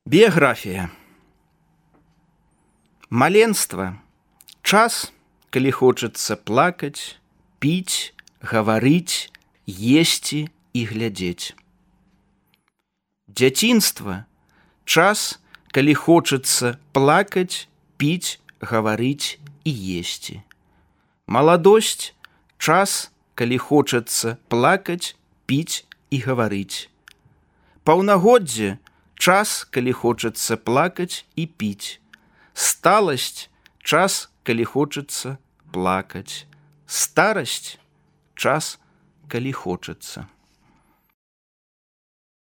Біяграфія. Маленства – час, калі хочацца плакаць, піць, гаварыць, есці і глядзець. Дзяцінства – час, калі хочацца плакаць, піць, гаварыць і есці. Маладосць – час, калі хочацца плакаць, піць і гаварыць. Паўнагоддзе – час, калі хочацца плакаць і піць. Сталасць – час, калі хочацца плакаць. Старасць – час, калі хочацца